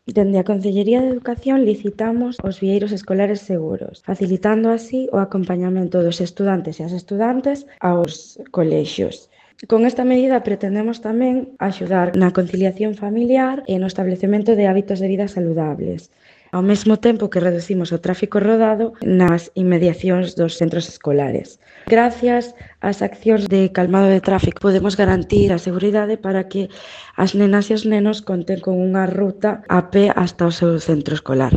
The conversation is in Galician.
Dende a Consellería de Educación licitamos os vieiros escolares seguros, facilitando así o acompañamento dos estudantes e as estudantes aos colexios. Con esta medida pretendemos tamén axudar na conciliación familiar e no establecemento de hábitos de vida saludables, ao mesmo tempo que reducimos o tráfico rodado nas inmediacións dos centros escolares. Gracias ás accións de calmado de tráfico podemos garantir a seguridade para que as nenas e os nenos conten con unha ruta a pé hasta o seu centro escolar.